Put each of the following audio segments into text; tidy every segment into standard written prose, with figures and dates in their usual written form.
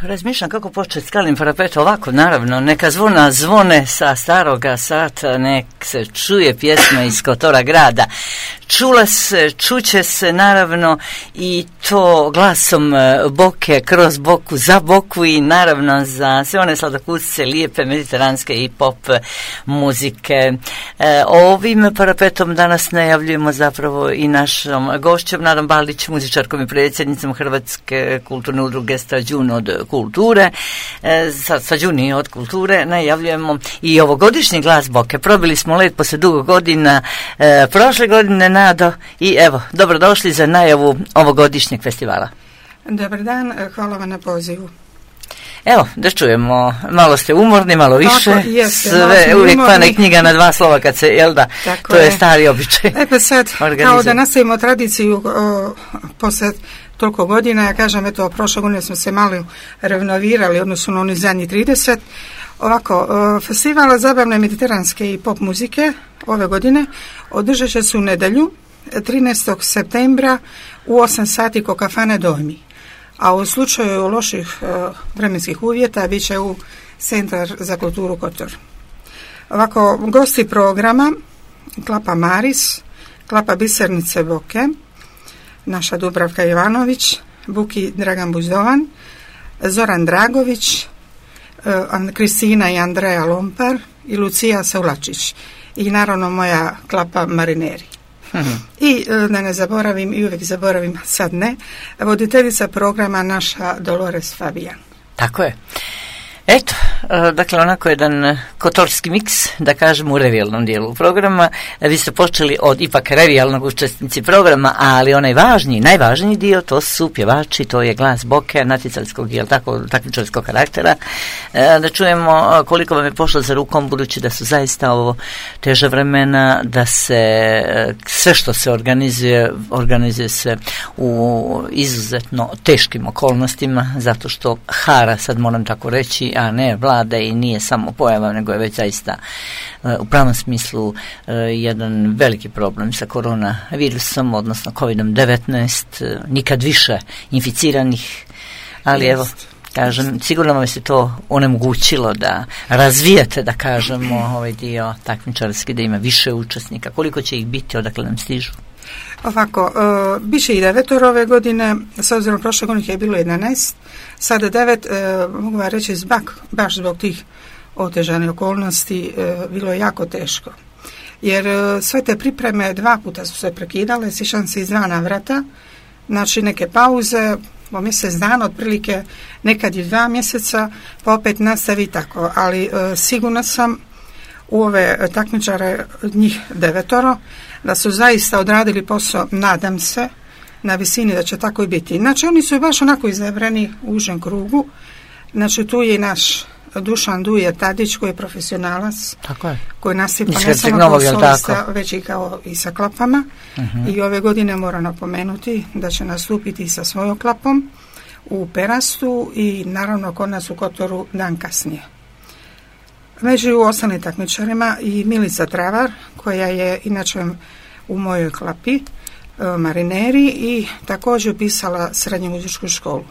razmišljam kako početi Skalnim parapetom ovako, naravno, neka zvona zvone sa staroga sata, nek se čuje pjesma iz Kotora grada. Čuće se naravno i to glasom Boke, kroz Boku, za Boku i naravno za sve one sladokusce lijepe mediteranske i pop muzike. Ovim parapetom danas najavljujemo zapravo i našom gošćom Nadom Baldić, muzičarkom i predsjednicom Hrvatske kulturne udruge Stađun od kulture. Stađuni od kulture najavljujemo i ovogodišnji glas Boke. Probili smo led poslije dugo godina, prošle godine, Nado, i evo, dobrodošli za najavu ovogodišnjeg festivala. Dobar dan, hvala vam na pozivu. Evo, da čujemo, malo ste umorni, malo više, tako, jeste, sve uvijek pane knjiga na dva slova kad se, jel da, tako to je stari običaj. Pa sad, kao da nastavimo tradiciju poslije toliko godina, ja kažem, eto, prošle godine smo se malo renovirali, odnosno na oni zadnji 30. Ovako, festival zabavne mediteranske i pop muzike ove godine održat će se u nedjelju, 13. septembra u 8 sati kod kafane Dojmi. A u slučaju loših vremenskih uvjeta bit će u Centar za kulturu Kotor. Ovako, gosti programa Klapa Maris, Klapa Bisernice Boke, naša Dubravka Ivanović, Buki Dragan Buzdovan, Zoran Dragović, Kristina i Andreja Lompar i Lucija Saulačić i naravno moja Klapa Marineri. I da ne zaboravim, i uvijek zaboravim, sad ne, voditeljica programa naša Dolores Fabijan. Tako je. Eto, dakle, onako jedan kotorski miks, da kažemo, u revijalnom dijelu programa. Vi ste počeli od ipak revijalnog učesnici programa, ali onaj najvažniji dio, to su pjevači, to je glas Boke, natjecalskog, jel tako, takmičarskog karaktera. Da čujemo koliko vam je pošlo za rukom, budući da su zaista ovo teža vremena, da se sve što se organizuje se u izuzetno teškim okolnostima, zato što hara, sad moram tako reći, a ne vlada i nije samo pojava, nego je već zaista u pravom smislu jedan veliki problem sa koronavirusom, odnosno COVID-19, nikad više inficiranih, ali evo, kažem, sigurno vam se to onemogućilo da razvijete, da kažemo, ovaj dio takmičarski, da ima više učesnika. Koliko će ih biti, odakle nam stižu? Ovako, bit će i 9 ove godine, s obzirom prošle godine je bilo 11, sada 9, mogu vam reći, baš zbog tih otežanih okolnosti, bilo je jako teško. Jer sve te pripreme 2 puta su se prekidale, sjećam se iz 2 navrata, znači neke pauze, po mjesec dana, otprilike nekad i 2 mjeseca, pa opet nastavi tako, ali sigurna sam u ove takmičare, njih 9, da su zaista odradili posao, nadam se, na visini da će tako i biti. Znači, oni su baš onako izabrani u užem krugu. Znači, tu je i naš Dušan Duje Tadić, koji je profesionalac, tako je, koji nasipa ne samo kao solista, već i kao i sa klapama. I ove godine moram napomenuti da će nastupiti sa svojom klapom u Perastu i naravno kod nas u Kotoru dan kasnije. Među ostalim takmičarima i Milica Travar, koja je inače u mojoj klapi Marineri i također upisala srednju muzičku školu,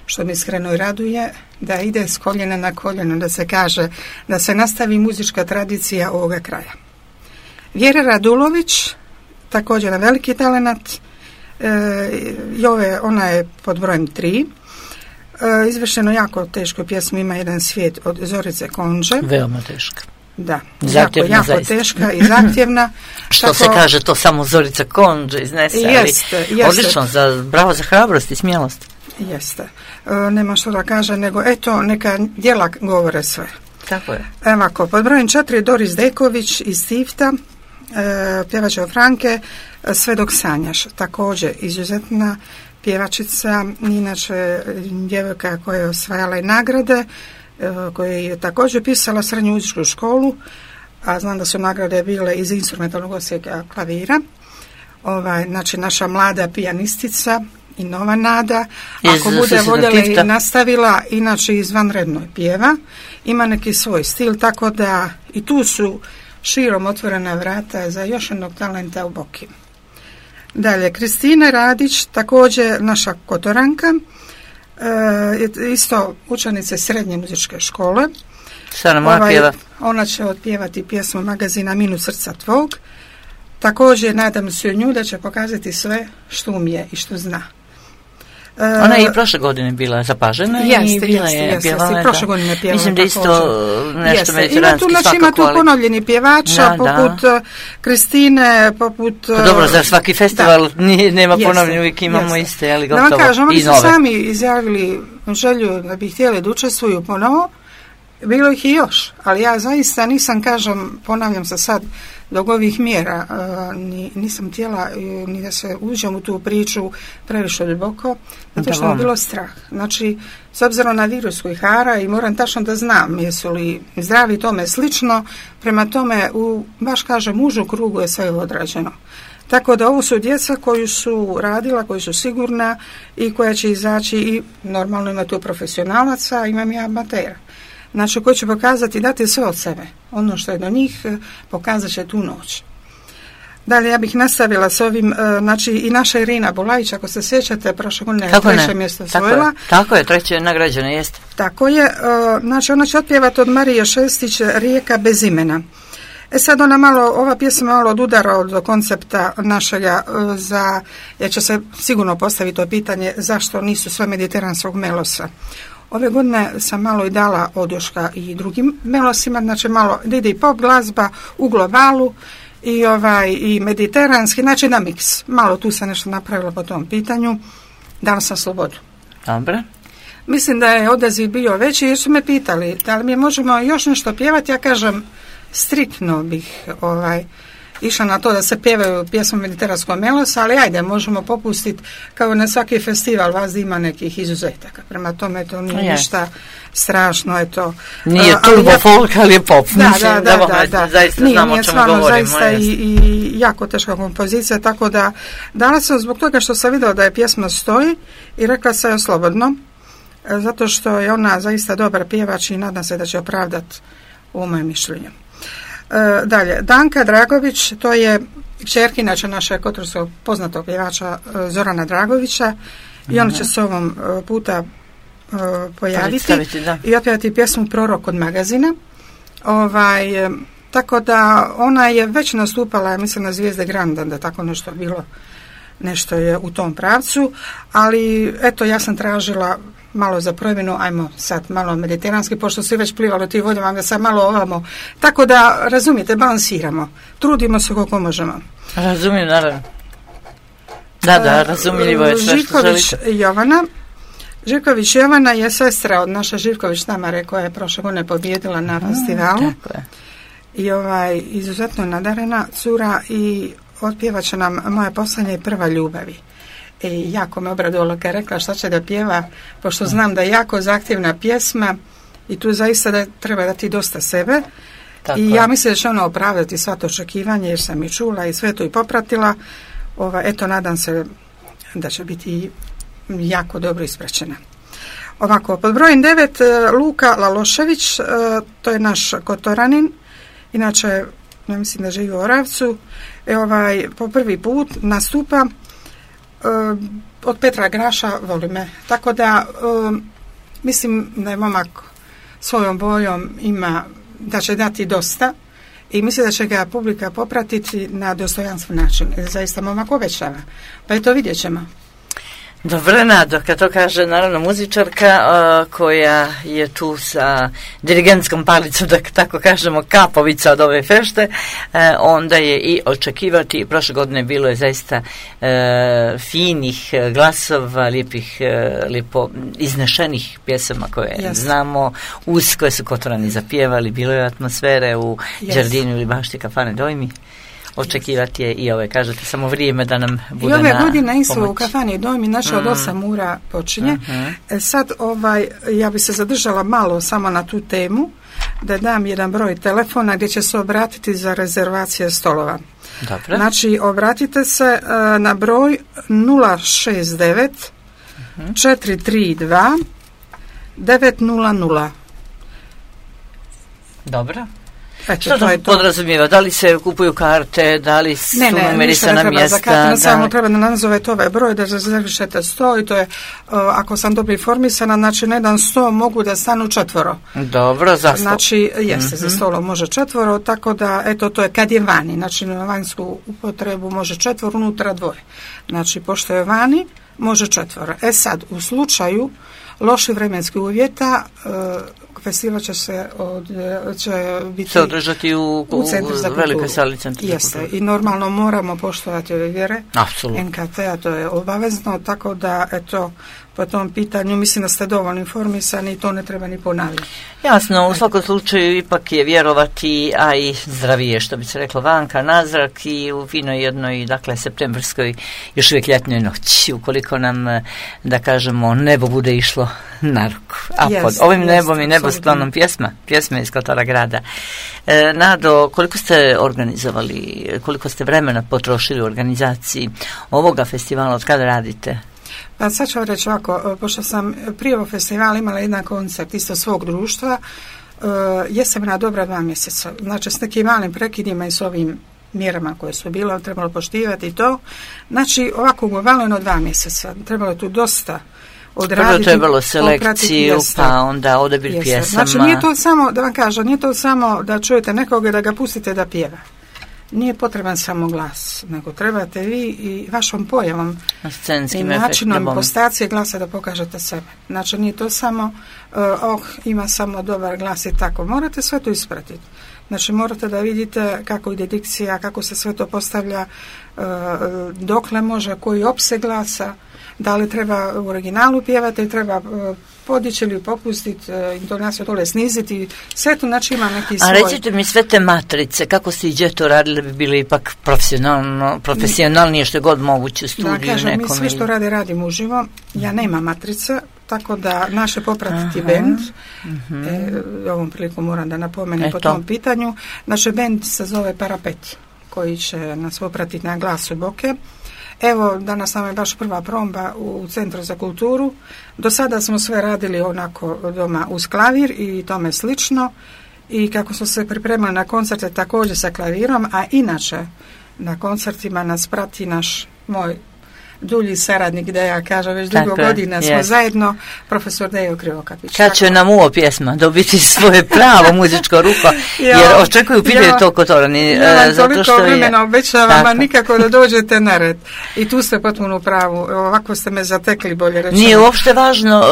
što mi iskreno i raduje, da ide s koljena na koljeno, da se kaže, da se nastavi muzička tradicija ovoga kraja. Vjera Radulović, također na veliki talenat, ona je pod brojem 3, izvršeno jako teško pjesmu Ima jedan svijet od Zorice Konđe. Veoma teška. Da, zahtjevna, jako teška i zahtjevna. Što tako, se kaže, to samo Zorica Konđe iznese, jeste. Odlično, bravo za hrabrost i smjelost. Jeste. Nema što da kaže, nego eto, neka djela govore sve. Tako je. Ovako, pod brojem 4 Doris Deković iz Tifta, pjevača Franke, Sve dok sanjaš, također izuzetna pjevačica, inače djevojka koja je osvajala i nagrade, koja je također pisala srednju muzičku školu, a znam da su nagrade bile iz instrumentalnog odsjeka klavira. Znači naša mlada pijanistica i nova nada, ako bude voljela i nastavila, inače izvanredno pjeva, ima neki svoj stil, tako da i tu su širom otvorena vrata za još jednog talenta u Boki. Dalje, Kristina Radić, također naša Kotoranka, isto učenice srednje muzičke škole. Šta nam ona pjeva? Ona će otpjevati pjesmu magazina Minut srca tvog. Također nadam se u nju da će pokazati sve što umije i što zna. Ona je i prošle godine bila zapažena i bila je pjevala. Prošle godine pjevala. Mislim da isto nešto mediteranski svakako. Ima tu ponovljeni pjevača poput Kristine, poput... Dobro, za svaki festival nema ponovljeni, uvijek imamo iste, ali gotovo i nove. Da vam kažem, oni su sami izjavili želju da bi htjeli da učestvuju ponovo. Bilo ih i još, ali ja zaista nisam, kažem, ponavljam se sad, dok ovih mjera nisam htjela ni da se uđem u tu priču previše duboko, zato što mi je bilo strah. Znači, s obzirom na virus koji hara i moram tačno da znam jesu li zdravi tome slično, prema tome, baš kažem, užu krugu je sve odrađeno. Tako da ovo su djeca koju su radila, koji su sigurna i koja će izaći i normalno ima tu profesionalaca, imam i amatera. Znači, koji će pokazati, dati sve od sebe. Ono što je do njih, pokazat će tu noć. Dalje, ja bih nastavila s ovim, znači, i naša Irina Bulajić, ako se sjećate, prošle godine je treće mjesto osvojila. Tako je, treće nagrađena, jeste. Tako je, znači, ona će otpjevati od Marije Šestić Rijeka bez imena. Sad ova pjesma malo odudara od koncepta našega jer će se sigurno postaviti to pitanje zašto nisu sve mediteranskog melosa. Ove godine sam malo i dala odjuška i drugim melosima, znači malo ide i pop glazba u globalu i mediteranski, znači na miks. Malo tu sam nešto napravila po tom pitanju, dala sam slobodu. Dobre. Mislim da je odaziv bio veći jer su me pitali da li mi možemo još nešto pjevati, ja kažem striktno bih išla na to da se pjevaju pjesmu mediteranskog melosa, ali ajde, možemo popustiti kao na svaki festival, vas ima nekih izuzetaka. Prema tome to nije ništa strašno, je to. Nije turbo folk, ali je pop. Da. Zaista znamo o čemu govorimo. Zaista i jako teška kompozicija, tako da dala sam zbog toga što sam vidjela da je pjesma stoji i rekla sam joj slobodno, zato što je ona zaista dobar pjevač i nadam se da će opravdati u mojem mišljenju. Dalje, Danka Dragović, to je kćerka inače našeg kotorskog poznatog pjevača Zorana Dragovića i ona će se ovom puta pojaviti i otpjevati pjesmu Prorok od magazina. Tako da ona je već nastupala, ja mislim, na Zvijezde Granda, da tako nešto bilo, nešto je u tom pravcu, ali eto, ja sam tražila malo za promjenu, ajmo sad malo mediteranski, pošto se već plivalo ti vodima, da sad malo ovamo. Tako da, razumijete, balansiramo. Trudimo se koliko možemo. Razumijem, naravno. Da, razumljivo je sve što želite. Živković Jovana je sestra od naše Živković Tamare, koja je prošle godine pobjedila na festivalu. Tako I je. izuzetno nadarena cura i otpjevat će nam Moja poslednja i prva ljubavi. Jako me obradovalo kad je rekla šta će da pjeva, pošto znam da je jako zahtjevna pjesma i tu zaista da treba dati dosta sebe. Tako i ja mislim da će ona opravdati sva to očekivanje jer sam i čula i sve to i popratila. Eto, nadam se da će biti jako dobro ispraćena. Ovako, pod brojem 9 Luka Lalošević, to je naš Kotoranin, inače ja mislim da živi u Oravcu, po prvi put nastupa. Od Petra Graša voli me, tako da mislim da je momak svojom boljom ima, da će dati dosta i mislim da će ga publika popratiti na dostojanstven način. Zaista momak obećava, pa eto, vidjet ćemo. Dobro, Nado, kad to kaže naravno muzičarka koja je tu sa dirigentskom palicom, da tako kažemo, kapovica od ove fešte, onda je i očekivati, prošle godine bilo je zaista finih glasova, lijepo iznešenih pjesama koje znamo, uz koje su Kotorani zapjevali, bilo je atmosfere u Đardinu ili bašti kafane Dojmi. Očekivati je i ove, kažete, samo vrijeme da nam bude na pomoć. I ove godine isto u kafani Dojmi, znači od 8 ura počinje. Sad ja bi se zadržala malo samo na tu temu, da dam jedan broj telefona gdje će se obratiti za rezervacije stolova. Dobro. Znači, obratite se na broj 069 432 900. Dobro. Što to podrazumijeva? Da li se kupuju karte, da li su numerisana mjesta? Ne, samo treba da nazovete ovaj broj, da rezervišete sto i to je, ako sam dobro informisana, znači na jedan sto mogu da stanu 4. Dobro, za stol. Znači, jeste, za stolom može 4, tako da, eto, to je kad je vani, znači na vanjsku upotrebu može 4, unutra 2. Znači, pošto je vani, može 4. Sad, u slučaju loših vremenskih uvjeta, festival će biti održati u Centru za velikoj sali Centra za kulturu. I normalno moramo poštovati ove vjere. Apsolutno. NKT-a, to je obavezno, tako da, eto, po tom pitanju mislim da ste dovoljno informisani i to ne treba ni ponavljati. Jasno, u svakom slučaju ipak je vjerovati, a i zdravije, što bi se reklo, vanka, nazrak i u finoj jednoj, dakle, septembrskoj, još uvijek ljetnoj noći, ukoliko nam, da kažemo, nebo bude išlo na ruku. A pod ovim nebom i nebosklonom pjesma iz Kotora grada. Nado, koliko ste organizovali, koliko ste vremena potrošili u organizaciji ovoga festivala, od kada radite? Pa sad ću vam reći ovako, pošto sam prije ovog festivala imala jedan koncert isto svog društva, jesam na dobra 2 mjeseca. Znači s nekim malim prekidima i s ovim mjerama koje su bile, trebalo poštivati i to. Znači ovako ugovaleno 2 mjeseca. Trebalo je tu dosta odraditi. Prvo trebalo selekciju, pa onda odabir pjesama. Znači nije to samo, da vam kažem, nije to samo da čujete nekoga da ga pustite da pjeva. Nije potreban samo glas, nego trebate vi i vašom pojavom i načinom impostacije glasa da pokažete sebe. Znači nije to samo ima samo dobar glas i tako. Morate sve to ispratiti. Znači morate da vidite kako ide dikcija, kako se sve to postavlja, dokle može, koji opseg glasa, da li treba u originalu pjevati, treba podići ili popustiti, intonaciju dole sniziti, sve to znači ima neki svoj. A recite mi sve te matrice, kako ste i gdje to radili, bi bili ipak profesionalnije što je god moguće u studiju kažem, nekom? Mi sve što radimo uživo, ja nemam matrice, tako da naše popratiti bend, ovom prilikom moram da napomenem po tom pitanju, naš bend se zove Parapet, koji će nas popratiti na glasu Boke. Evo, danas nam je baš prva promba u Centru za kulturu. Do sada smo sve radili onako doma uz klavir i tome slično. I kako smo se pripremali na koncerte također sa klavirom, a inače na koncertima nas prati moj dulji saradnik, da ja kažem, već dugo godina smo zajedno, profesor Dejo Krivokapić. Kad će nam uvo pjesma dobiti svoje pravo muzičko ruho, jer očekuju pitanje to Kotorani. Ja vam toliko vremena obećavam, a nikako da dođete na red. I tu ste potpuno u pravu. Ovako ste me zatekli, bolje rečeno. Nije uopšte važno,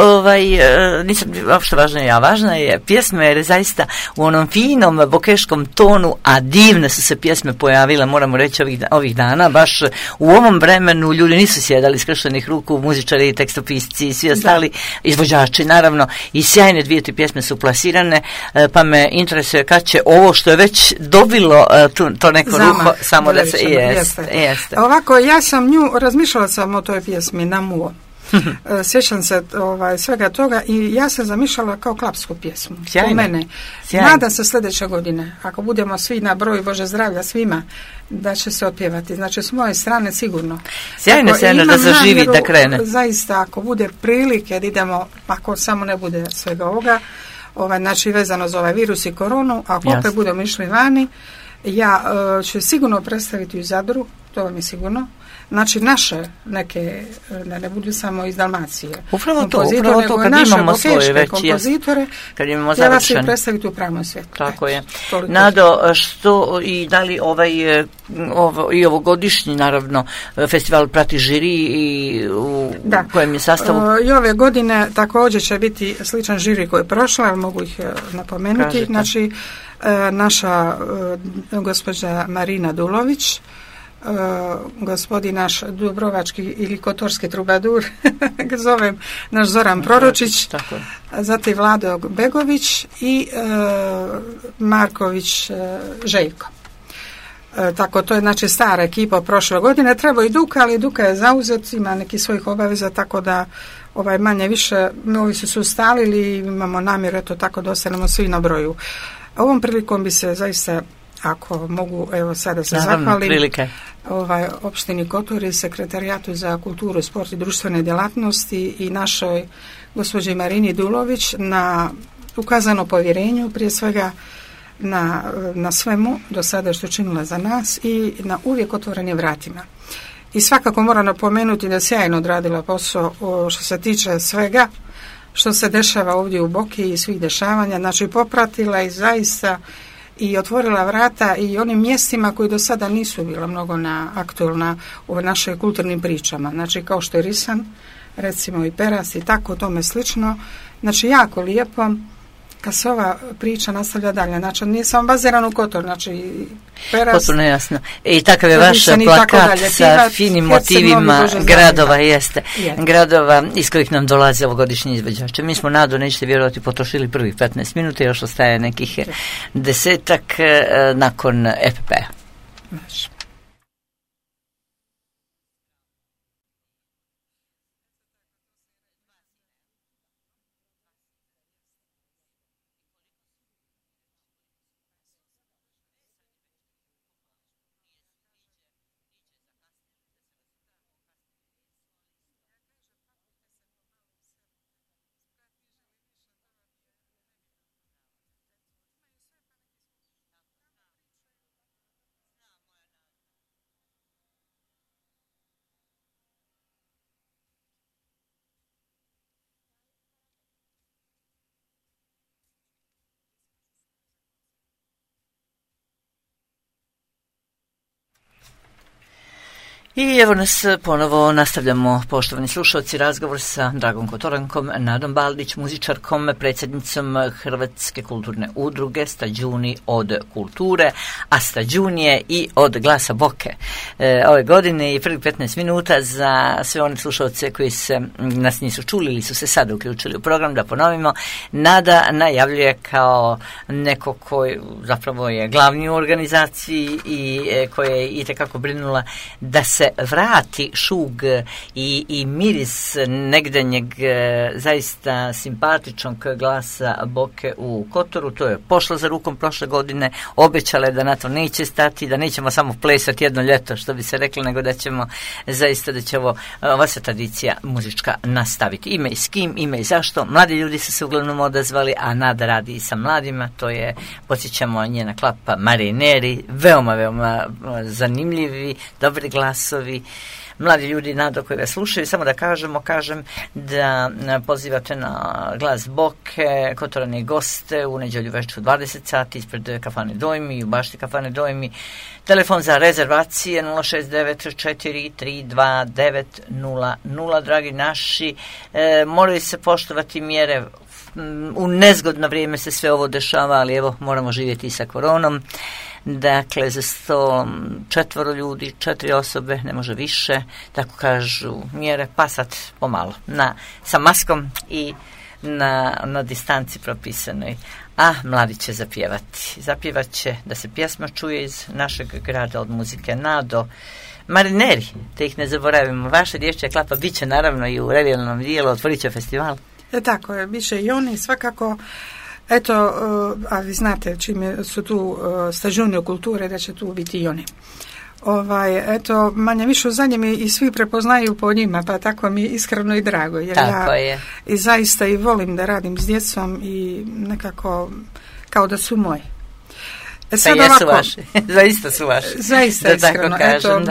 nisam uopšte važna važna je pjesma, jer je zaista u onom finom bokeškom tonu, a divne su se pjesme pojavile, moramo reći ovih dana, baš u ovom vremenu ljudi nisu sjedali skrštenih ruku, muzičari, tekstopisci i svi ostali izvođači, naravno, i sjajne 2-3 pjesme su plasirane, pa me interesuje kad će ovo što je već dobilo to neko ruho, samo da se jeste. Ovako, ja sam razmišljala sam o toj pjesmi Namuo. Sjećam se svega toga i ja sam zamišljala kao klapsku pjesmu. Sjajno. Po mene. Nadam se sljedeće godine, ako budemo svi na broju, Bože zdravlja svima, da će se otpjevati. Znači s moje strane sigurno. Sjajno da zaživi, da krene. Zaista, ako bude prilike da idemo, ako samo ne bude svega ovoga, znači vezano za ovaj virus i koronu, ako opet budemo išli vani, ja ću sigurno predstaviti u Zadru, to vam je sigurno. Znači naše neke, ne budu samo iz Dalmacije. Upravo to, kad imamo svoje već kompozitore, kad imamo treba se predstaviti u pravom svijetu. Tako je. Nado, što i da li i ovogodišnji, naravno, festival prati žiri i u kojem je sastavu? I ove godine također će biti sličan žiri koji je prošla, ali mogu ih napomenuti. Kažete. Znači, naša gospođa Marina Dulović, gospodin naš dubrovački ili kotorski trubadur, zovem naš Zoran Proročić, zatim Vlado Begović i Marković Željko. Tako, to je znači stara ekipa prošle godine. Treba i Duka, ali Duka je zauzet, ima neki svojih obaveza, tako da manje više ovi su se ustalili i imamo namjeru tako da ostanemo svi na broju. Ovom prilikom bi se zaista, ako mogu, evo sada se zahvalim opštini Kotor i sekretarijatu za kulturu, sport i društvene djelatnosti i našoj gospođi Marini Dulović na ukazano povjerenju, prije svega na svemu do sada što je činila za nas i na uvijek otvorenim vratima. I svakako moram napomenuti da sjajno odradila posao što se tiče svega što se dešava ovdje u Boki i svih dešavanja, znači popratila i zaista i otvorila vrata i onim mjestima koji do sada nisu bila mnogo aktualna u našoj kulturnim pričama, znači kao što je Risan, recimo i Peras i tako tome slično, znači jako lijepo kad se ova priča nastavlja dalje, znači nije samo baziran u Kotor, znači Peras. Potpuno jasno. I takav je vaš plakat sa finim motivima gradova, jeste. Gradova iz kojih nam dolaze ovogodišnji izvođači. Mi smo, Nado, nećete vjerovati, potrošili prvih 15 minuta, još ostaje nekih 10 nakon EPP-a. I evo nas ponovo nastavljamo, poštovani slušalci, razgovor sa Dragom Kotorankom, Nadom Baldić, muzičarkom, predsjednicom Hrvatske kulturne udruge Stađuni od kulture, a Stađun je i od Glasa Boke. Ove godine i prvih 15 minuta za sve one slušalce koji nas nisu čuli ili su se sada uključili u program, da ponovimo, Nada najavljuje kao neko koji zapravo je glavni u organizaciji i koja je itekako brinula da se vrati šug i miris negdanjeg zaista simpatičnog Glasa Boke u Kotoru. To je pošlo za rukom prošle godine, obećala je da na to neće stati, da nećemo samo plesati jedno ljeto, što bi se reklo, nego da ćemo zaista, da će ova se tradicija muzička nastaviti. Ime i s kim, ime i zašto. Mladi ljudi su se uglavnom odazvali, a Nada radi i sa mladima. To je, podsjećamo, njena klapa Marineri, veoma, veoma zanimljivi, dobri glasovi, mladi ljudi, Nado, koji ga slušaju. Samo da kažem da pozivate na Glas Boke kotorane goste u nedjelju večer u 20 sati ispred kafane Dojmi, u bašti kafane Dojmi. Telefon za rezervacije 069432900. Dragi naši, moraju se poštovati mjere. U nezgodno vrijeme se sve ovo dešava, ali evo, moramo živjeti i sa koronom. Dakle, za 104 ljudi, 4 osobe, ne može više, tako kažu mjere, pa sad pomalo, sa maskom i na distanci propisanoj. A mladi će zapjevat će da se pjesma čuje iz našeg grada od muzike Nado. Marineri, te ih ne zaboravimo, vaša dječja klapa bit će naravno i u revijalnom dijelu, otvorit će festival. Tako je, bit će i oni svakako. Eto, a vi znate čime su tu Stađuni od kulture, da će tu biti i oni. Eto, manje više u zadnjem i svi prepoznaju po njima, pa tako mi je iskreno i drago. Jer tako je. I zaista i volim da radim s djecom i nekako kao da su moji. Sad pa jesu vaši, zaista su vaši. Zaista da iskreno, tako kažem,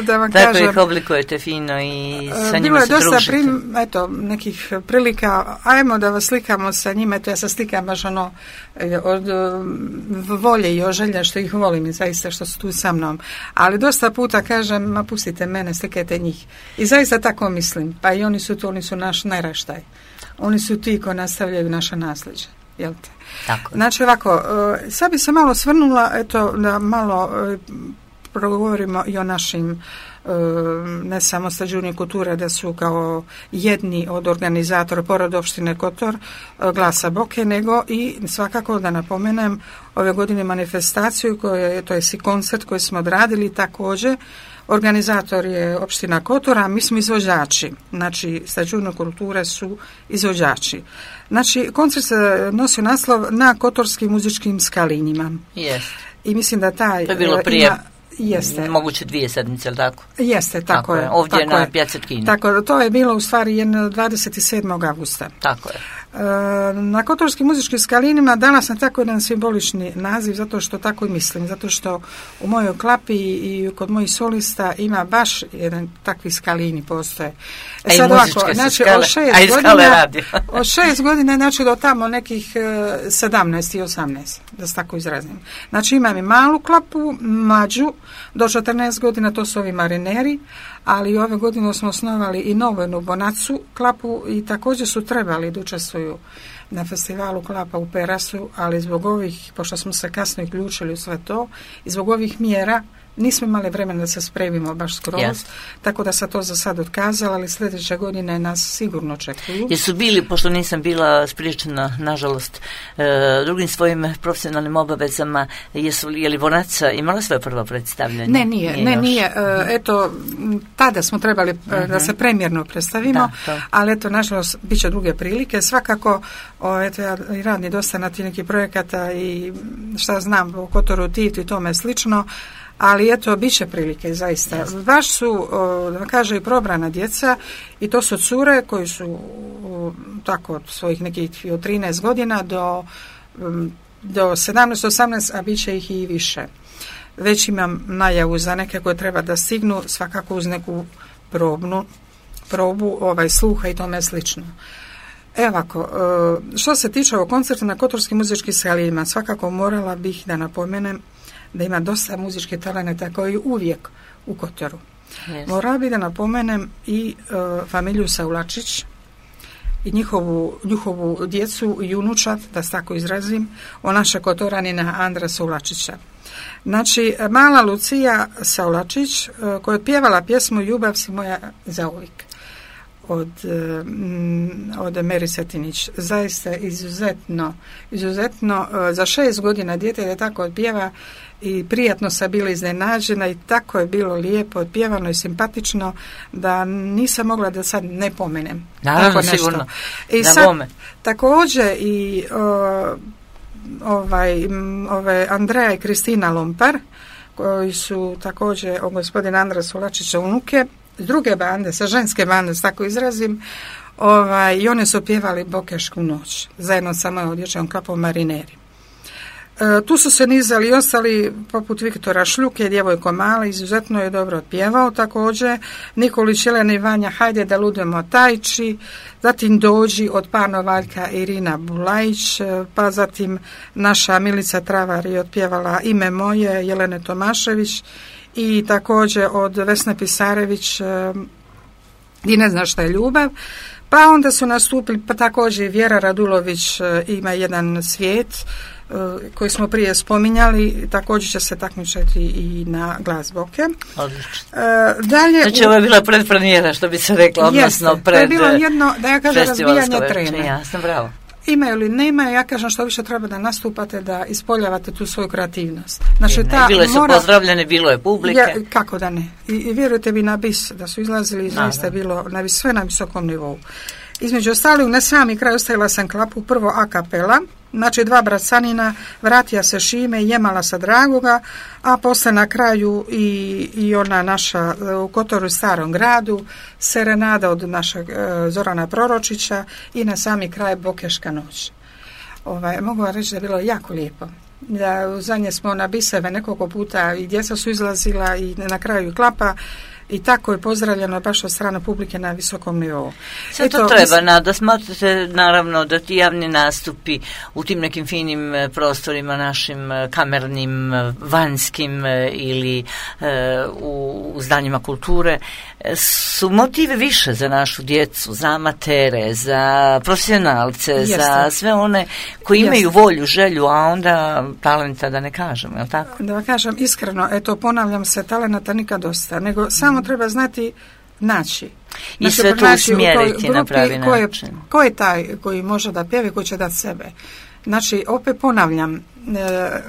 da vam tako kažem. Ih oblikujete fino i sa njima se družite. Bilo je dosta nekih prilika, ajmo da vas slikamo sa njima, eto ja se slikam baš od volje i želja što ih volim i zaista što su tu sa mnom. Ali dosta puta kažem, ma pustite mene, slikajte njih. I zaista tako mislim, pa i oni su naš naraštaj. Oni su ti koji nastavljaju naše nasljeđe. Jel te? Tako. Znači ovako, sad bi se malo svrnula, eto, da malo progovorimo i o našim ne samo Stađuni kulture, da su kao jedni od organizatora pored opštine Kotor Glasa Boke, nego i svakako da napomenem ove godine manifestaciju, to je i koncert koji smo odradili također. Organizator je opština Kotor, a mi smo izvođači. Znači, Stađuni kulture su izvođači. Znači, koncert se nosi naslov Na kotorskim muzičkim skalinjima. Yes. I mislim da to je bilo prije Jeste. Moguće 2 sedmice, ali tako? Jeste, tako je. Ovdje tako na Piazza Kini. Tako, to je bilo u stvari 27. augusta. Tako je. Na Kotorskim muzičkim skalinima dala sam tako jedan simbolični naziv, zato što tako i mislim, zato što u mojoj klapi i kod mojih solista ima baš jedan takvi skalini postoje. Sad ovako, znači od 6 godina, znači do tamo nekih 17 i 18, da se tako izrazim. Znači imam i malu klapu, mlađu, do 14 godina, to su ovi marineri, ali ove godine smo osnovali i novu Bonacu klapu i također su trebali da učestvuju na festivalu klapa u Perasu, ali zbog ovih, pošto smo se kasno uključili u sve to, i zbog ovih mjera nismo imali vremena da se spremimo baš skroz, tako da sam to za sad otkazala, ali sljedeće godine nas sigurno očekuju. Jesu bili, pošto nisam bila spriječena, nažalost, drugim svojim profesionalnim obavezama, je li Bonaca imala svoje prvo predstavljanje? Nije. Eto, tada smo trebali da se premjerno predstavimo, ali eto, nažalost, bit će druge prilike. Svakako, eto, ja radim dosta na tih nekih projekata i šta znam, u Kotoru Tivtu i tome slično, ali eto, bit će prilike, zaista. Baš su, da kaže, i probrana djeca i to su cure koji su tako od svojih nekih od 13 godina do 17-18, a bit će ih i više. Već imam najavu za neke koje treba da stignu, svakako uz neku probu sluha i tome slično. Ovako, što se tiče ovog koncerta na Kotorskim muzičkim skalinima, svakako morala bih da napomenem da ima dosta muzičkih talenata koji uvijek u Kotoru. Morala bih da napomenem i familiju Saulačić i njihovu djecu i unučad, da se tako izrazim, o naše Kotoranina Andra Saulačića. Znači, mala Lucija Saulačić, koja je pjevala pjesmu Ljubav si moja zauvijek od Meri Setinić. Zaista izuzetno za 6 godina dijete da tako odpjeva i prijatno sam bila iznenađena i tako je bilo lijepo odpjevano i simpatično da nisam mogla da sad ne pomenem. Naravno, sigurno. I sad također i ove Andreja i Kristina Lompar, koji su također gospodin Andra Saulačića unuke, s druge bande, sa ženske bande, s tako izrazim, i one su pjevali Bokešku noć, zajedno sa mojom dječjom klapom Marineri. Tu su se nizali i ostali, poput Viktora Šljuke, djevojko mala, izuzetno je dobro otpjevao također, Nikolić Jelena i Vanja, hajde da ludujemo Tajči, zatim Dođi od Pano Valjka Irina Bulajić, pa zatim naša Milica Travar je otpjevala Ime moje, Jelene Tomašević, i također od Vesne Pisarević I ne zna šta je ljubav. Pa onda su nastupili, pa također Vjera Radulović ima jedan svijet koji smo prije spominjali, također će se takmičiti i na Glas Boke. Odlično. Znači ovo je bila predpremijera, što bi se rekla, odnosno pred to je bilo jedno, da ja kažem, razbijanje treme. Jasno, bravo. Imaju ili nema, ja kažem što više treba da nastupate, da ispoljavate tu svoju kreativnost. Znači, bile su pozdravljene, bilo je publike. Kako da ne. I vjerujte mi na bis, da su izlazili i zaista bilo sve na visokom nivou. Između ostalih, na sami kraj ostavila sam klapu, prvo a kapela, znači 2 bracanina, Vratija se Šime i Jemala sa Dragoga, a posle na kraju i ona naša u Kotoru Starom gradu, Serenada od našeg Zorana Proročića i na sami kraj Bokeška noć. Mogu vam reći da je bilo jako lijepo. Da zadnje smo na biseve nekoliko puta i djeca su izlazila i na kraju klapa, i tako je pozdravljeno baš od strane publike na visokom nivou. Sve to treba, da smatrate naravno da ti javni nastupi u tim nekim finim prostorima našim kamernim, vanjskim ili u zdanjima kulture su motive više za našu djecu, za amatere, za profesionalce, za sve one koji imaju volju, želju, a onda talenta da ne kažemo, je li tako? Da kažem iskreno, ponavljam se, talenata nikad dosta, nego samo treba znati naći. I sve to usmjeriti na pravi način. Ko je taj koji može da pjevi, koji će dati sebe? Znači, opet ponavljam,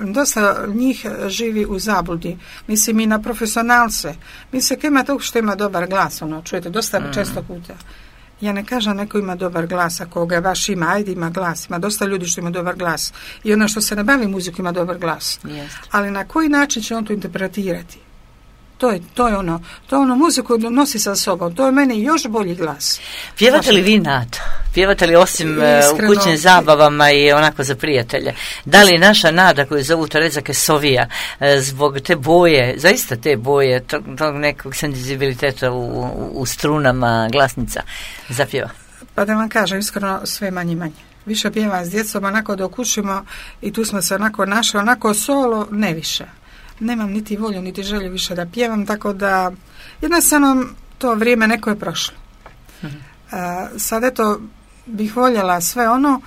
dosta njih živi u zabludi. Mislim i na profesionalce. Mislim, ima to što ima dobar glas, čujete, dosta često puta. Ja ne kažem neko ima dobar glas, ako ga baš ima, ajde ima glas. Ima dosta ljudi što ima dobar glas. I ono što se ne bavi muziku ima dobar glas. Jest. Ali na koji način će on to interpretirati? To je ono, muziku nosi sa sobom, to je meni još bolji glas. Pjevate li vi Nado? Pjevate li osim u kućnim zabavama i onako za prijatelje? Da li naša Nada koju zovu Tereza Kesovija zbog te boje, zaista te boje, tog nekog senzibiliteta u strunama glasnica zapjeva? Pa da vam kažem, iskreno sve manje. Više pjevam s djecom, onako dok učimo i tu smo se onako našli, onako solo, ne više. Nemam niti volju, niti želju više da pjevam, tako da jednostavno to vrijeme neko je prošlo. Sad eto bih voljela sve ono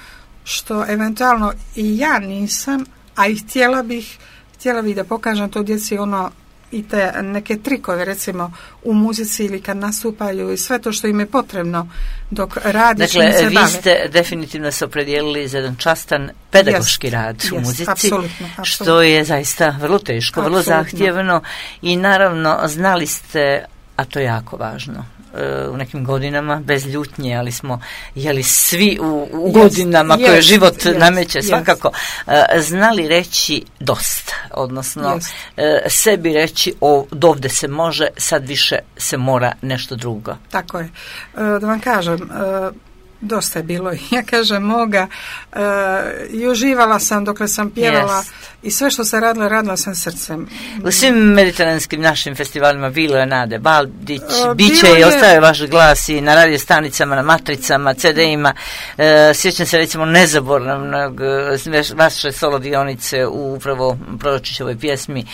što eventualno i ja nisam, a i htjela bih da pokažem to djeci ono i te neke trikove recimo u muzici ili kad nastupaju i sve to što im je potrebno dok radi. Dakle, vi ste definitivno se opredijelili za jedan častan pedagoški rad u muzici, apsolutno. Što je zaista vrlo teško, vrlo zahtjevno i naravno znali ste, a to je jako važno, u nekim godinama, bez ljutnje, ali smo svi u godinama koje život nameće svakako, znali reći dosta, odnosno sebi reći dovde se može, sad više se mora nešto drugo. Tako je. Da vam kažem, dosta je bilo, ja kažem moga, i uživala sam dokle sam pjevala i sve što se radila sam srcem. U svim mediteranskim našim festivalima bilo je Nade Baldić, biće i ostaje vaš glas i na radio stanicama, na matricama, CD-ima. Sjećam se recimo nezaboravnog vaše solo dionice u upravo Proročićevoj pjesmi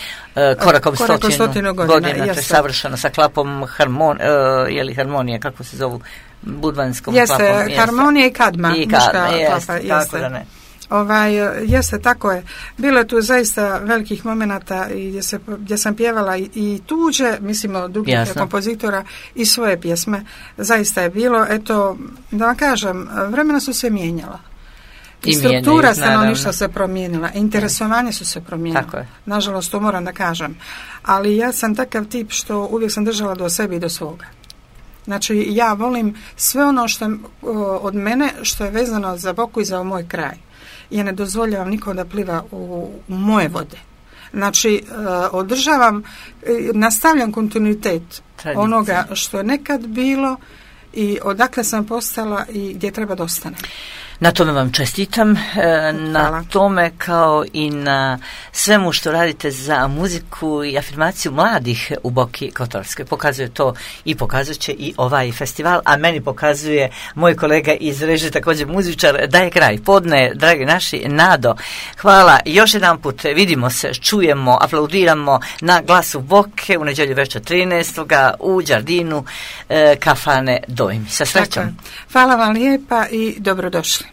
Korakom stotinu godina, to je savršeno sa klapom harmonije, kako se zovu, budvanskom klapom. Jeste, harmonija i kadma. Tako da ne. Jeste, tako je. Bilo je tu zaista velikih momenata gdje sam pjevala i tuđe, mislim od drugih kompozitora i svoje pjesme. Zaista je bilo, eto, da vam kažem, vremena su se mijenjala. I struktura stanovništva se promijenila, interesovanje su se promijenila. Nažalost, to moram da kažem. Ali ja sam takav tip što uvijek sam držala do sebe i do svoga. Znači, ja volim sve ono što od mene što je vezano za Boku i za moj kraj. Ja ne dozvoljavam nikom da pliva u moje vode. Znači, održavam, nastavljam kontinuitet onoga što je nekad bilo i odakle sam postala i gdje treba da ostanem. Na tome vam čestitam, na tome kao i na svemu što radite za muziku i afirmaciju mladih u Boki Kotorskoj. Pokazuje to i pokazuje će i ovaj festival, a meni pokazuje moj kolega iz režije, također muzičar, da je kraj podne, dragi naši. Nado, hvala još jedan put, vidimo se, čujemo, aplaudiramo na Glasu Boke u nedjelju večer 13. u Đardinu kafane Dojmi. Sa srećom. Hvala vam lijepa i dobrodošli.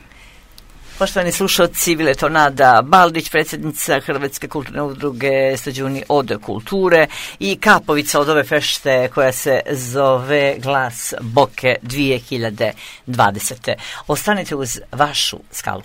Poštovani slušalci, bila je to Nada Baldić, predsjednica Hrvatske kulturne udruge Stađuni od kulture i kapovica od ove fešte koja se zove Glas Boke 2020. Ostanite uz vašu skalu.